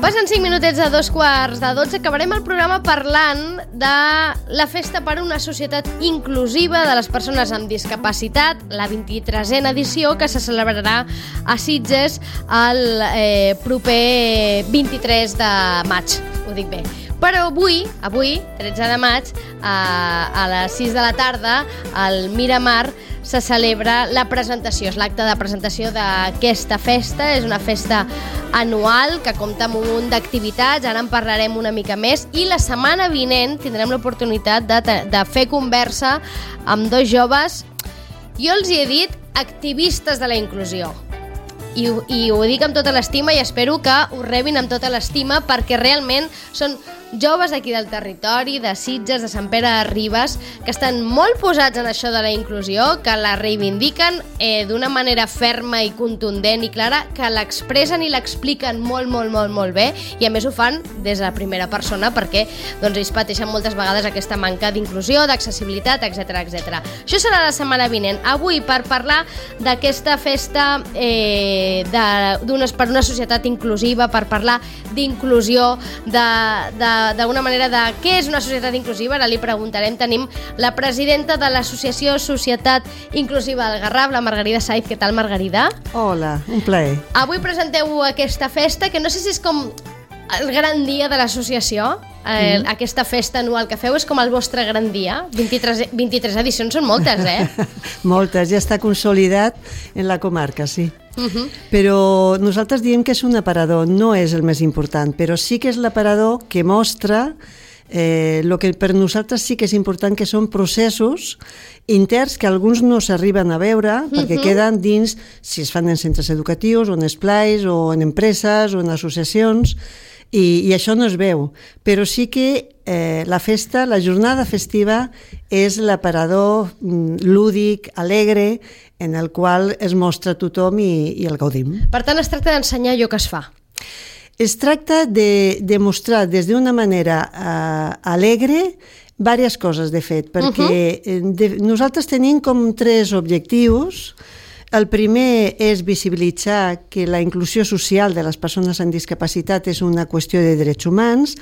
Passen 5 minutets a 2:45. Acabarem el programa parlant de la festa per a una societat inclusiva de les persones amb discapacitat, la 23a edició, que se celebrarà a Sitges el proper 23 de maig. Ho dic bé. Però avui, 13 de maig, a les 6 de la tarda, al Miramar, se celebra la presentació, és l'acte de presentació d'aquesta festa. És una festa anual que compta amb un munt d'activitats, ara en parlarem una mica més, i la setmana vinent tindrem l'oportunitat de fer conversa amb dos joves, jo els hi he dit activistes de la inclusió. I ho dic amb tota l'estima i espero que ho rebin amb tota l'estima, perquè realment són joves aquí del territori, de Sitges, de Sant Pere de Ribes, que estan molt posats en això de la inclusió, que la reivindiquen d'una manera ferma i contundent i clara, que l'expressen i l'expliquen molt bé, i a més ho fan des de la primera persona, perquè ells pateixen moltes vegades aquesta manca d'inclusió, d'accessibilitat, etc. Això serà la setmana vinent. Avui, per parlar d'aquesta festa per una societat inclusiva, per parlar d'inclusió, d'alguna manera de què és una societat inclusiva, ara li preguntarem. Tenim la presidenta de l'associació Societat Inclusiva del Garraf, la Margarida Saiz. Què tal, Margarida? Hola, un plaer. Avui presenteu aquesta festa, que no sé si és com el gran dia de l'associació. Aquesta festa anual que feu és com el vostre gran dia. 23 edicions són moltes, Moltes, ja està consolidat en la comarca, sí. Però nosaltres diem que és un aparador, no és el més important, però sí que és l'aparador que mostra el que per nosaltres sí que és important, que són processos interns que alguns no s'arriben a veure perquè queden dins, si es fan en centres educatius o en esplais o en empreses o en associacions, i això no es veu, però sí que la festa, la jornada festiva és l'aparador lúdic, alegre, en el qual es mostra tothom i el gaudim. Per tant, es tracta d'ensenyar allò que es fa. Es tracta de mostrar des d'una manera alegre diverses coses, de fet, perquè nosaltres tenim com 3 objectius. El primer és visibilitzar que la inclusió social de les persones amb discapacitat és una qüestió de drets humans,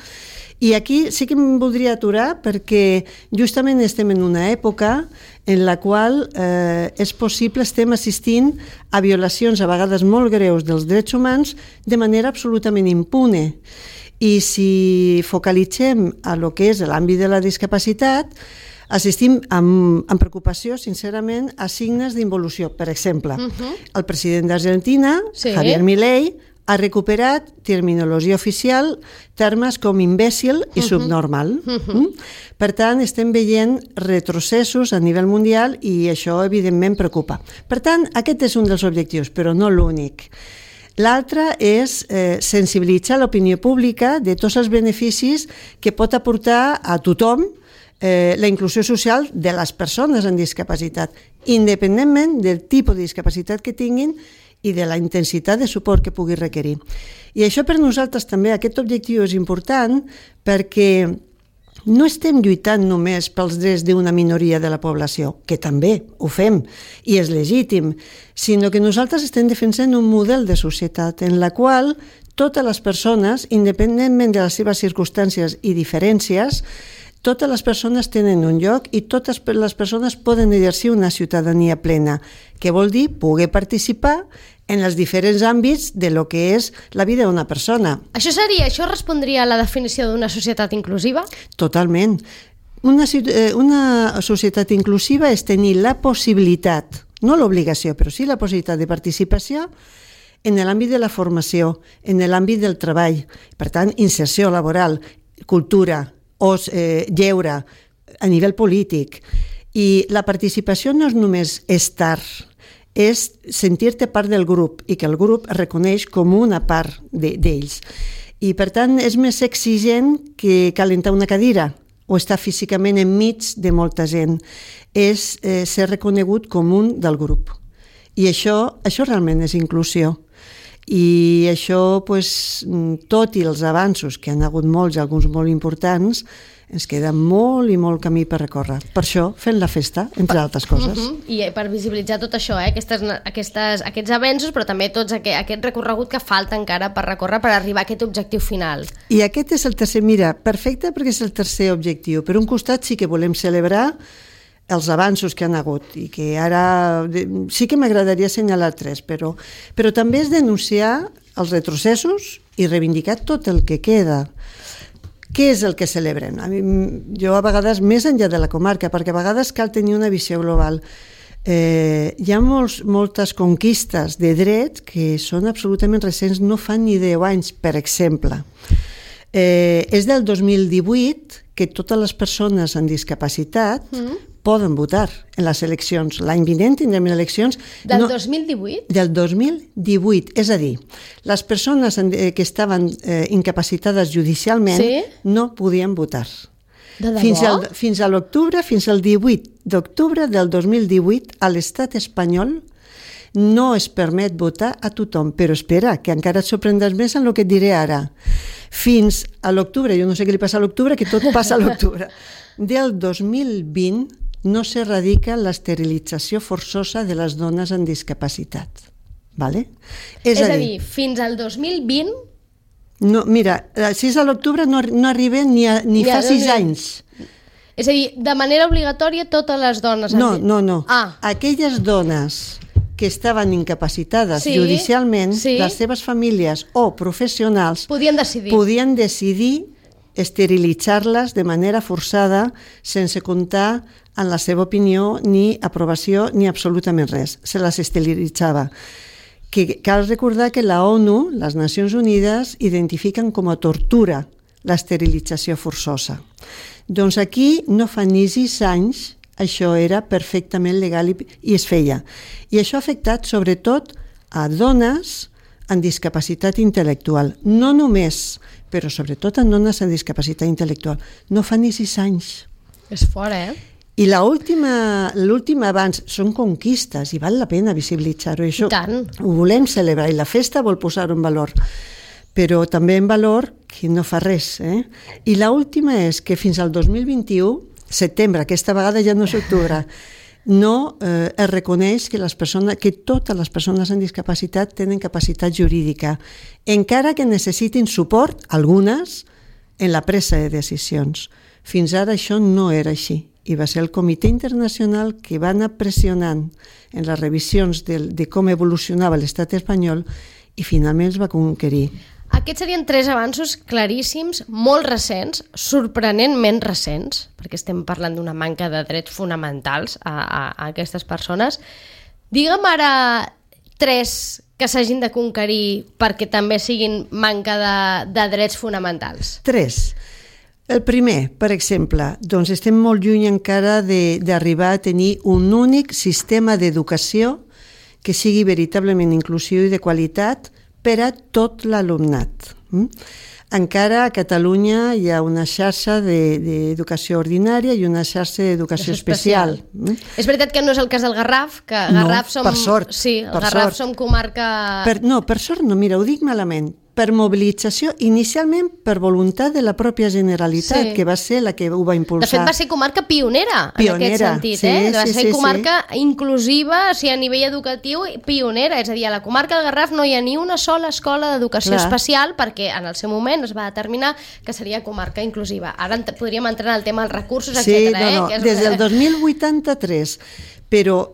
i aquí sí que em voldria aturar perquè justament estem en una època en la qual és possible, estem assistint a violacions a vegades molt greus dels drets humans de manera absolutament impune. I si focalitzem a lo que és l'àmbit de la discapacitat, assistim amb preocupació, sincerament, a signes d'involució. Per exemple, el president d'Argentina, Javier Milei, ha recuperat terminologia oficial, termes com imbècil i subnormal. Per tant, estem veient retrocessos a nivell mundial i això, evidentment, preocupa. Per tant, aquest és un dels objectius, però no l'únic. L'altre és sensibilitzar l'opinió pública de tots els beneficis que pot aportar a tothom la inclusió social de les persones amb discapacitat, independentment del tipus de discapacitat que tinguin i de la intensitat de suport que pugui requerir. I això per nosaltres també, aquest objectiu és important perquè no estem lluitant només pels drets d'una minoria de la població, que també ho fem i és legítim, sinó que nosaltres estem defensant un model de societat en la qual totes les persones, independentment de les seves circumstàncies i diferències, totes les persones tenen un lloc i totes les persones poden exercir una ciutadania plena, que vol dir poder participar en els diferents àmbits de lo que és la vida d'una persona. Això respondria a la definició d'una societat inclusiva? Totalment. Una societat inclusiva és tenir la possibilitat, no l'obligació, però sí la possibilitat de participació en l'àmbit de la formació, en l'àmbit del treball. Per tant, inserció laboral, cultura, lleure, a nivell polític. I la participació no és només estar, és sentir-te part del grup i que el grup es reconeix com una part d'ells. I per tant és més exigent que calentar una cadira o estar físicament enmig de molta gent. És ser reconegut com un del grup. I això realment és inclusió. I això, tot i els avanços, que han hagut molts, alguns molt importants, Ens queda molt i molt camí per recórrer. Per això fem la festa, entre altres coses. I per visibilitzar tot això, aquests avenços, però també tot aquest recorregut que falta encara per recórrer per arribar a aquest objectiu final. I aquest és el tercer, mira, perfecte perquè és el tercer objectiu. Per un costat sí que volem celebrar els avanços que han hagut i que ara sí que m'agradaria assenyalar 3, però també és denunciar els retrocessos i reivindicar tot el que queda. Què és el que celebrem? Jo a vegades, més enllà de la comarca, perquè a vegades cal tenir una visió global. Hi ha moltes conquistes de dret que són absolutament recents, no fan ni 10 anys, per exemple. És del 2018 que totes les persones amb discapacitat poden votar en les eleccions. L'any vinent tindrem eleccions... Del 2018? Del 2018, és a dir, les persones que estaven incapacitades judicialment no podien votar. De debò? Fins a l'octubre, fins al 18 d'octubre del 2018, a l'estat espanyol no es permet votar a tothom. Però espera, que encara et sorprendràs més en el que et diré ara. Fins a l'octubre, jo no sé què li passa a l'octubre, que tot passa a l'octubre, del 2020 no s'erradica l'esterilització forçosa de les dones amb discapacitat. Vale? És a dir, fins al 2020... No, mira, si és a l'octubre no arriben ni fa 6 anys. És a dir, de manera obligatòria totes les dones... No. Aquelles dones que estaven incapacitades judicialment, les seves famílies o professionals podien decidir esterilitzar-les de manera forçada sense comptar en la seva opinió, ni aprovació, ni absolutament res. Se les esterilitzava. Cal recordar que la ONU, les Nacions Unides, identifiquen com a tortura l'esterilització forçosa. Doncs aquí no fa ni 6 anys això era perfectament legal i es feia. I això ha afectat sobretot a dones amb discapacitat intel·lectual. No només, però sobretot a dones amb discapacitat intel·lectual. No fa ni 6 anys. És fort, I l'últim abans són conquistes i val la pena visibilitzar-ho. Això ho volem celebrar i la festa vol posar-ho en valor. Però també en valor que no fa res. I l'última és que fins al 2021, setembre, aquesta vegada ja no és octubre, no es reconeix que totes les persones amb discapacitat tenen capacitat jurídica, encara que necessitin suport, algunes, en la presa de decisions. Fins ara això no era així. I va ser el Comitè Internacional que va anar pressionant en les revisions de com evolucionava l'estat espanyol i finalment es va conquerir. Aquests serien 3 avanços claríssims, molt recents, sorprenentment recents, perquè estem parlant d'una manca de drets fonamentals a aquestes persones. Digue'm ara 3 que s'hagin de conquerir perquè també siguin manca de drets fonamentals. 3. El primer, per exemple, doncs estem molt lluny encara d'arribar a tenir un únic sistema d'educació que sigui veritablement inclusiu i de qualitat per a tot l'alumnat. Encara a Catalunya hi ha una xarxa d'educació ordinària i una xarxa d'educació especial. És veritat que no és el cas del Garraf, que Garraf som... per sort. Sí, el Garraf som comarca... Per sort no, mira, ho dic malament. Per mobilització, inicialment per voluntat de la pròpia Generalitat, que va ser la que ho va impulsar. De fet, va ser comarca pionera en aquest sentit. Va ser comarca inclusiva, a nivell educatiu, pionera. És a dir, a la comarca del Garraf no hi ha ni una sola escola d'educació especial perquè en el seu moment es va determinar que seria comarca inclusiva. Ara podríem entrar en el tema dels recursos, etc. Des del 2083, però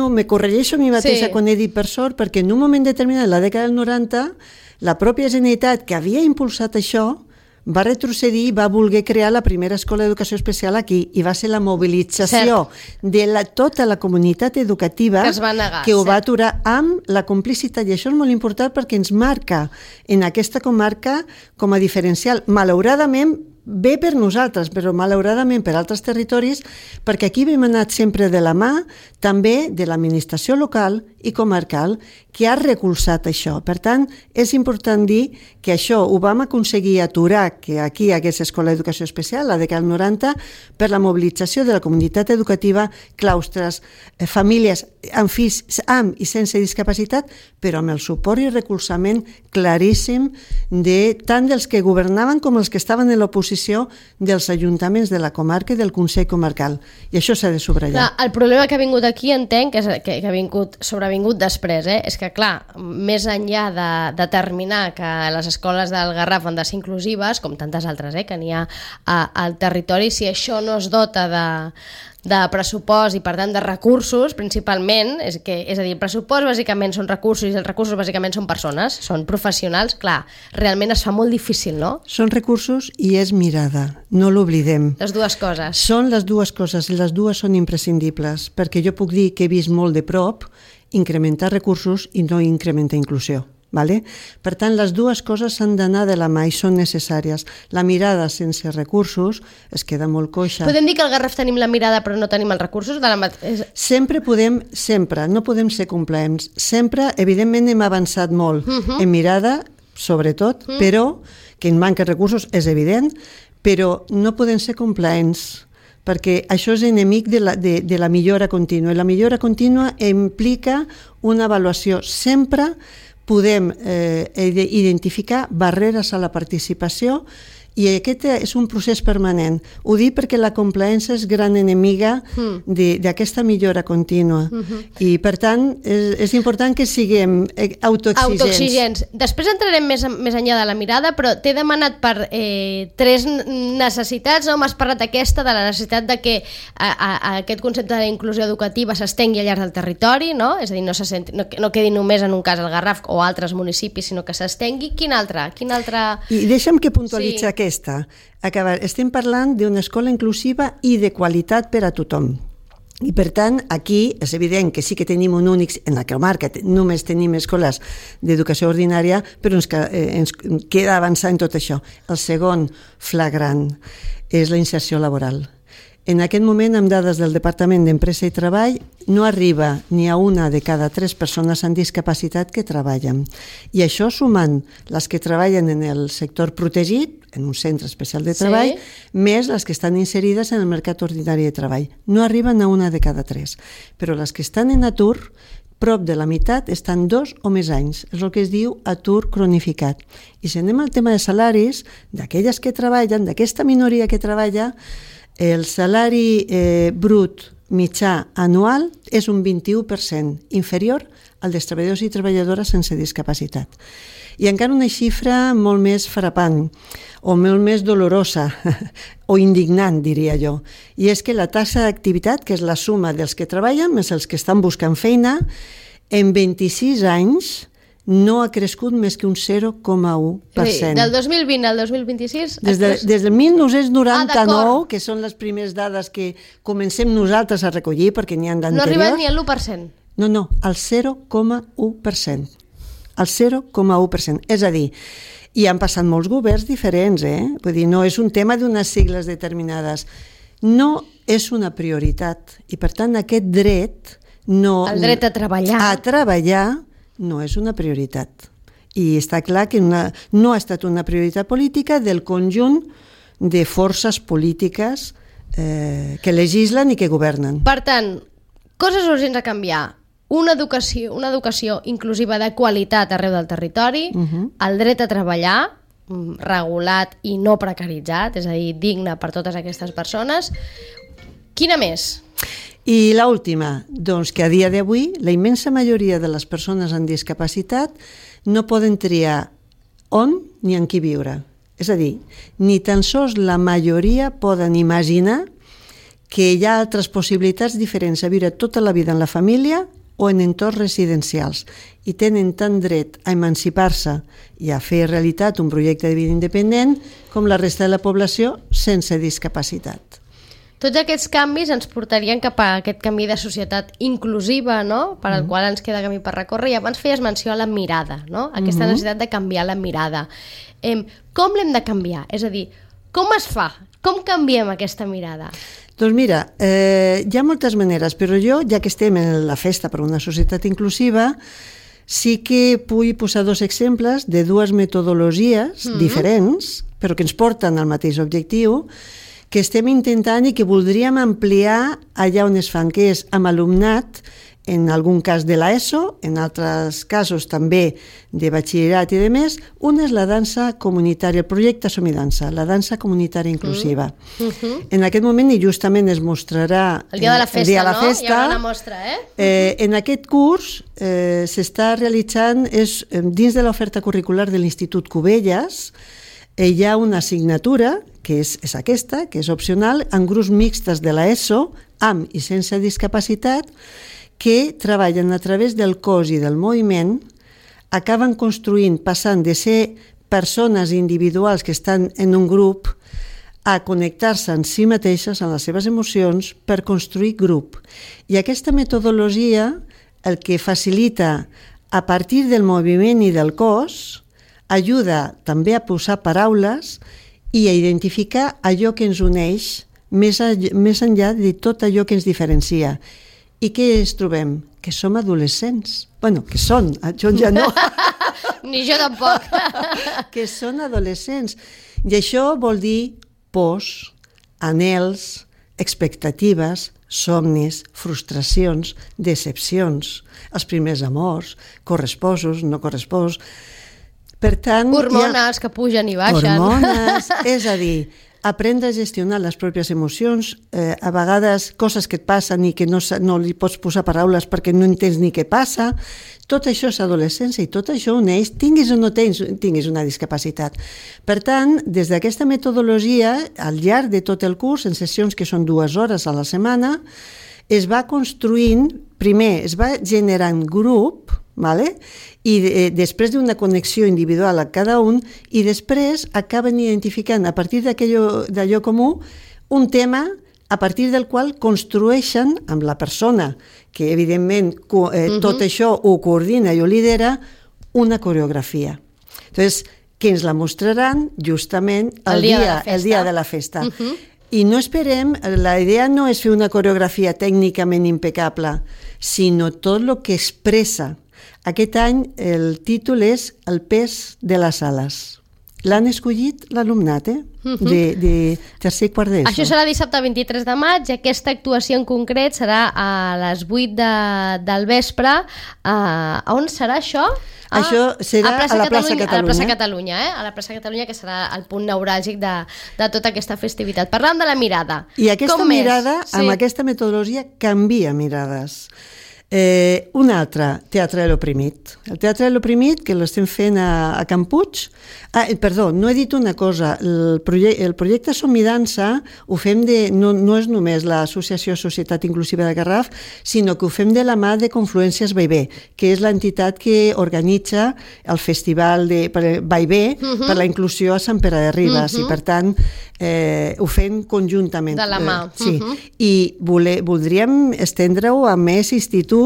me corregeixo a mi mateixa quan he dit per sort, perquè en un moment determinat, en la dècada del 90, la pròpia Generalitat, que havia impulsat això, va retrocedir i va voler crear la primera escola d'educació especial aquí, i va ser la mobilització de tota la comunitat educativa que ho va aturar amb la complicitat, i això és molt important perquè ens marca en aquesta comarca com a diferencial. Malauradament, bé per nosaltres, però malauradament per altres territoris, perquè aquí hem anat sempre de la mà també de l'administració local i comarcal que ha recolzat això. Per tant, és important dir que això ho vam aconseguir aturar, que aquí hi hagués escola d'educació especial, la dècada del 90, per la mobilització de la comunitat educativa, claustres, famílies amb fills amb i sense discapacitat, però amb el suport i recolzament claríssim de tant dels que governaven com els que estaven en l'oposició disposició dels ajuntaments de la comarca i del Consell Comarcal. I això s'ha de subratllar. Clar, el problema que ha vingut aquí, entenc, que ha sobrevingut després, és que, clar, més enllà de determinar que les escoles del Garraf han de ser inclusives, com tantes altres que n'hi ha al territori, si això no es dota de pressupost i per tant de recursos principalment, és a dir, el pressupost bàsicament són recursos i els recursos bàsicament són persones, són professionals, clar, realment es fa molt difícil, no? Són recursos i és mirada, no l'oblidem. Les dues coses. Són les dues coses i les dues són imprescindibles, perquè jo puc dir que he vist molt de prop incrementar recursos i no incrementar inclusió. Vale? Per tant, les dues coses s'han d'anar de la mà i són necessàries. La mirada sense recursos es queda molt coixa. Podem dir que al Garraf tenim la mirada però no tenim els recursos? Sempre, no podem ser complaents. Sempre, evidentment, hem avançat molt en mirada, sobretot, però que en manca recursos és evident, però no podem ser complaents, perquè això és enemic de la millora contínua. I la millora contínua implica una avaluació. Sempre podem identificar barreres a la participació i aquest és un procés permanent. Ho dic perquè la complaença és gran enemiga d'aquesta millora contínua. I, per tant, és important que siguem autoexigents. Després entrarem més enllà de la mirada, però t'he demanat per 3 necessitats, no? M'has parlat aquesta, de la necessitat de que aquest concepte de la inclusió educativa s'estengui al llarg del territori, no? És a dir, no quedi només en un cas al Garraf o altres municipis, sinó que s'estengui. Quin altre? I deixa'm que puntualitzi aquesta. Estem parlant d'una escola inclusiva i de qualitat per a tothom. I per tant, aquí és evident que sí que tenim un únic, en la comarca només tenim escoles d'educació ordinària, però ens queda avançar en tot això. El segon flagrant és la inserció laboral. En aquest moment, amb dades del Departament d'Empresa i Treball, no arriba ni a una de cada 3 persones amb discapacitat que treballen. I això sumant les que treballen en el sector protegit, en un centre especial de treball, més les que estan inserides en el mercat ordinari de treball. No arriben a una de cada 3. Però les que estan en atur, prop de la meitat estan 2 o més anys. És el que es diu atur cronificat. I si anem al tema de salaris, d'aquelles que treballen, d'aquesta minoria que treballa, el salari brut mitjà anual és un 21% inferior al dels treballadors i treballadores sense discapacitat. I encara una xifra molt més frapant, o molt més dolorosa, o indignant, diria jo, i és que la taxa d'activitat, que és la suma dels que treballen més els que estan buscant feina, en 26 anys no ha crescut més que un 0,1%. Del 2020 al 2026? Des del 1999, que són les primeres dades que comencem nosaltres a recollir, perquè n'hi ha d'anteriors. No ha arribat ni al 1%? No, al 0,1%. Al 0,1%. És a dir, i han passat molts governs diferents, Vull dir, no és un tema d'unes sigles determinades. No és una prioritat. I, per tant, aquest dret... El dret a treballar. A treballar no és una prioritat. I està clar que no ha estat una prioritat política del conjunt de forces polítiques que legislen i que governen. Per tant, coses urgents a canviar. Una educació inclusiva de qualitat arreu del territori, el dret a treballar, regulat i no precaritzat, és a dir, digne per totes aquestes persones. Quina més? I l'última, doncs que a dia d'avui la immensa majoria de les persones amb discapacitat no poden triar on ni en qui viure. És a dir, ni tan sols la majoria poden imaginar que hi ha altres possibilitats diferents a viure tota la vida en la família o en entorns residencials i tenen tant dret a emancipar-se i a fer realitat un projecte de vida independent com la resta de la població sense discapacitat. Tots aquests canvis ens portarien cap a aquest camí de societat inclusiva, no? Per al qual ens queda camí per recórrer. I abans feies menció a la mirada, no? Aquesta necessitat de canviar la mirada. Com l'hem de canviar? És a dir, com es fa? Com canviem aquesta mirada? Doncs mira, hi ha moltes maneres, però jo, ja que estem en la festa per una societat inclusiva, sí que vull posar 2 exemples de 2 metodologies diferents, però que ens porten al mateix objectiu, que estem intentant i que voldríem ampliar allà on es fan, que és amb alumnat en algun cas de l'ESO, en altres casos també de batxillerat i de més. Una és la dansa comunitària, el projecte Som i Dansa, la dansa comunitària inclusiva. En aquest moment, i justament es mostrarà el dia de la festa, Hi haurà una mostra, en aquest curs s'està realitzant, dins de l'oferta curricular de l'Institut Cubelles, hi ha una assignatura, que és aquesta, que és opcional, en grups mixtes de l'ESO, amb i sense discapacitat, que treballen a través del cos i del moviment, acaben construint, passant de ser persones individuals que estan en un grup a connectar-se en si mateixes, en les seves emocions, per construir grup. I aquesta metodologia el que facilita, a partir del moviment i del cos, ajuda també a posar paraules i a identificar allò que ens uneix més enllà de tot allò que ens diferencia. I què ens trobem? Que som adolescents. Bueno, que són, jo ja no. Ni jo tampoc. Que són adolescents. I això vol dir pors, anhels, expectatives, somnis, frustracions, decepcions, els primers amors, corresposos, no corresposos. Per tant, hormones que pugen i baixen. Hormones, és a dir, aprendre a gestionar les pròpies emocions, a vegades coses que et passen i que no li pots posar paraules perquè no entens ni què passa. Tot això és adolescència i tot això uneix, tinguis o no tinguis una discapacitat. Per tant, des d'aquesta metodologia, al llarg de tot el curs, en sessions que són 2 hores a la setmana, es va construint, primer es va generant grup, i després d'una connexió individual a cada un, i després acaben identificant a partir d'allò comú un tema a partir del qual construeixen amb la persona que evidentment tot això ho coordina i ho lidera, una coreografia. Entonces, que ens la mostraran justament el dia de la festa. I no esperem, la idea no és fer una coreografia tècnicament impecable, sinó tot el que expressa. Aquest any el títol és El pes de les ales. L'han escollit l'alumnat, de tercer i quart d'ESO. Això serà dissabte 23 de maig i aquesta actuació en concret serà a les 8 del vespre. On serà això? Això serà a la plaça Catalunya. A la plaça Catalunya, a la plaça Catalunya, que serà el punt neuràlgic de tota aquesta festivitat. Parlant de la mirada. I aquesta mirada, amb aquesta metodologia, canvia mirades. Un altre, Teatre de l'Oprimit. El Teatre de l'Oprimit, que l'estem fent a Can Puig. Perdó, no he dit una cosa. El projecte Som i Dansa ho fem no és només l'Associació Societat Inclusiva de Garraf, sinó que ho fem de la mà de Confluències Vallvé, que és l'entitat que organitza el festival de Vallvé per la inclusió a Sant Pere de Ribes, i per tant ho fem conjuntament. De la mà. Sí, i voldríem estendre-ho a més instituts,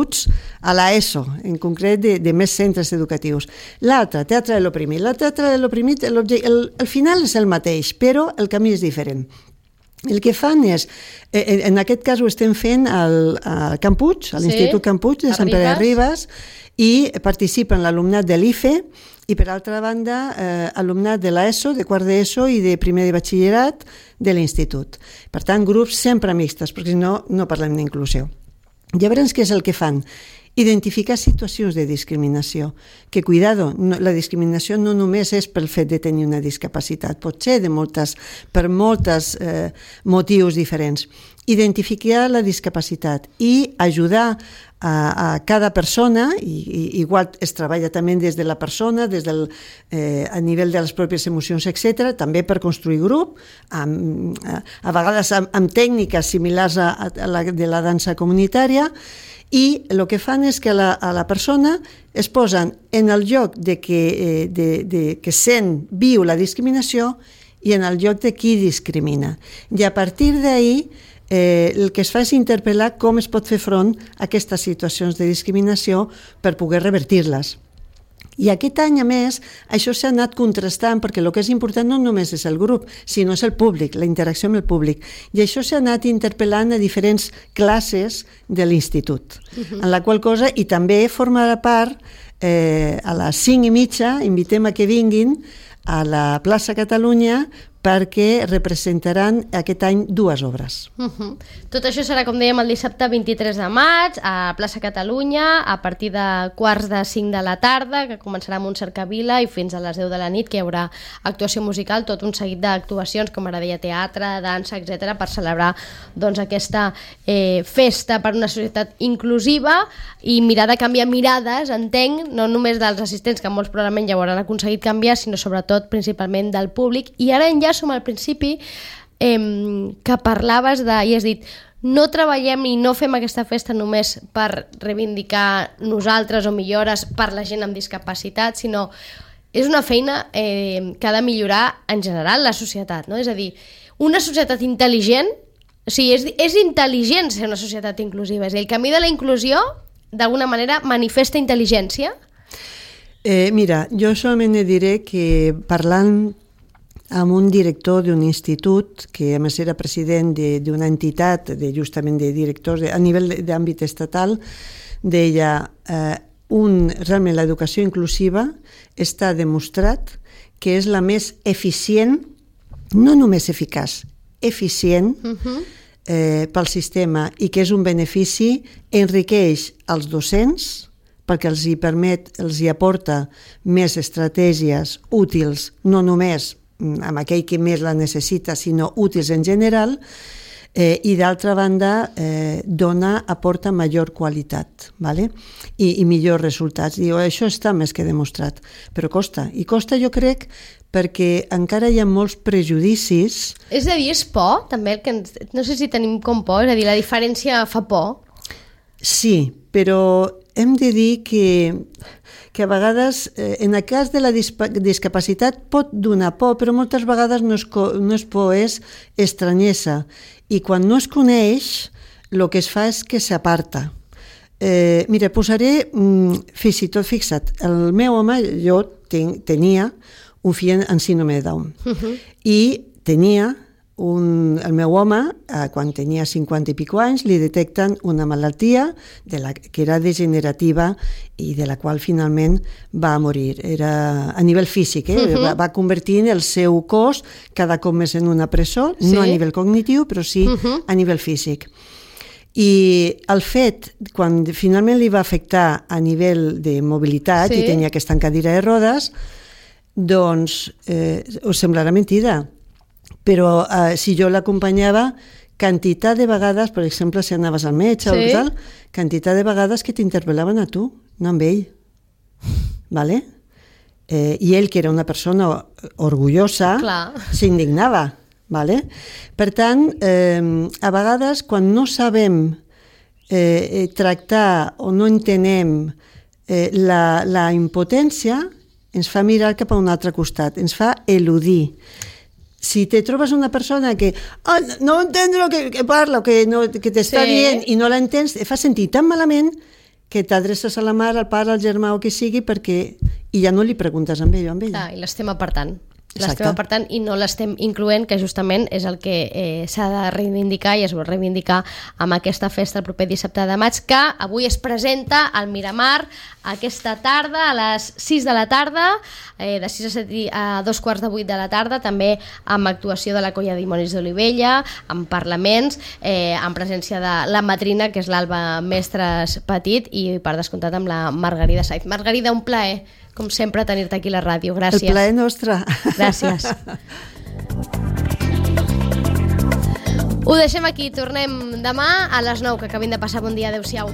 a l'ESO, en concret de més centres educatius. L'altre, Teatre de l'Oprimit. El Teatre de l'Oprimit, el final és el mateix, però el camí és diferent. El que fan és, en aquest cas ho estem fent al Can Puig, a l'Institut Can Puig de Sant Pere de Ribes, i participen l'alumnat de l'IFE i, per altra banda, alumnat de l'ESO, de quart d'ESO i de primer de batxillerat de l'Institut. Per tant, grups sempre mixtes, perquè si no, no parlem d'inclusió. Llavors, què és el que fan? Identificar situacions de discriminació. Que, cuidado, la discriminació no només és pel fet de tenir una discapacitat, pot ser per molts motius diferents. Identificar la discapacitat i ajudar a cada persona, i igual es treballa també des de la persona, a nivell de les pròpies emocions, etc., també per construir grup, a vegades amb tècniques similars a la de la dansa comunitària, i el que fan és que a la persona es posen en el lloc de que sent viu la discriminació i en el lloc de qui discrimina. I a partir d'ahir el que es fa és interpel·lar com es pot fer front a aquestes situacions de discriminació per poder revertir-les. I aquest any, a més, això s'ha anat contrastant, perquè el que és important no només és el grup, sinó és el públic, la interacció amb el públic. I això s'ha anat interpel·lant a diferents classes de l'institut, en la qual cosa, i també formarà part, a les 5:30, invitem a que vinguin a la plaça Catalunya perquè representaran aquest any 2 obres. Tot això serà, com dèiem, el dissabte 23 de maig a Plaça Catalunya a partir de 4:45 de la tarda, que començarà amb un cercavila, i fins a les 10 de la nit, que hi haurà actuació musical, tot un seguit d'actuacions, com ara deia, teatre, dansa, etc., per celebrar doncs, aquesta festa per una societat inclusiva i mirar de canviar mirades, entenc, no només dels assistents, que molts probablement ja ho hauran aconseguit canviar, sinó sobretot principalment del públic. I ara enllaço al principi que parlaves de, i has dit, no treballem i no fem aquesta festa només per reivindicar nosaltres o millores per la gent amb discapacitat, sinó és una feina que ha de millorar en general la societat, no? És a dir, una societat intel·ligent, o sigui, és intel·ligent ser una societat inclusiva, és a dir, el camí de la inclusió d'alguna manera manifesta intel·ligència? Mira, jo solament diré que parlant amb un director d'un institut, que a més era president d'una entitat justament de directors a nivell d'àmbit estatal, deia realment l'educació inclusiva està demostrat que és la més eficient, no només eficaç, eficient pel sistema, i que és un benefici, enriqueix els docents perquè els hi permet, els hi aporta més estratègies útils, no només amb aquell que més la necessita, sinó útils en general, i d'altra banda aporta major qualitat, ¿vale? I millors resultats. Diu, això està més que demostrat, però costa. I costa, jo crec, perquè encara hi ha molts prejudicis. És a dir, és por, també? No sé si tenim com por, és a dir, la diferència fa por? Sí, però hem de dir que a vegades, en el cas de la discapacitat, pot donar por, però moltes vegades no és por, és estranyesa. I quan no es coneix, el que es fa és que s'aparta. Mira, posaré, fins i tot, fixa't, el meu home, jo tenia un fill amb síndrome de Down, i tenia el meu home, quan tenia 50 i pico anys, li detecten una malaltia que era degenerativa i de la qual finalment va morir. Era a nivell físic, va convertir el seu cos cada cop més en una presó, no a nivell cognitiu, però sí a nivell físic. I el fet, quan finalment li va afectar a nivell de mobilitat i tenia que estar en cadira de rodes, doncs us semblarà mentida, però si jo l'acompanyava, quantitat de vegades, per exemple, si anaves al metge o tal, quantitat de vegades que t'interpel·laven a tu, no amb ell. ¿Vale? I ell, que era una persona orgullosa, s'indignava. ¿Vale? Per tant, a vegades, quan no sabem tractar o no entenem la impotència, ens fa mirar cap a un altre costat, ens fa eludir. Si te trobes una persona que no entén el que parla o que t'està dient i no l'entens, et fa sentir tan malament que t'adreces a la mare, al pare, al germà o qui sigui, i ja no li preguntes amb ell o amb ella. I l'estem apartant. I no l'estem incloent, que justament és el que s'ha de reivindicar i es vol reivindicar amb aquesta festa el proper dissabte de maig, que avui es presenta al Miramar aquesta tarda a les 6 de la tarda, de 6 a 7 a 2:15 de la tarda, també amb actuació de la Colla Dimonis d'Olivella, amb parlaments, amb presència de la madrina, que és l'Alba Mestres Petit, i per descomptat amb la Margarida Saiz. Margarida, un plaer, com sempre, tenir-te aquí a la ràdio. Gràcies. El plaer nostre. Gràcies. Ho deixem aquí. Tornem demà a les 9, que acabin de passar. Bon dia. Adéu-siau.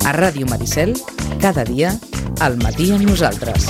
A Ràdio Maricel, cada dia, al matí amb nosaltres.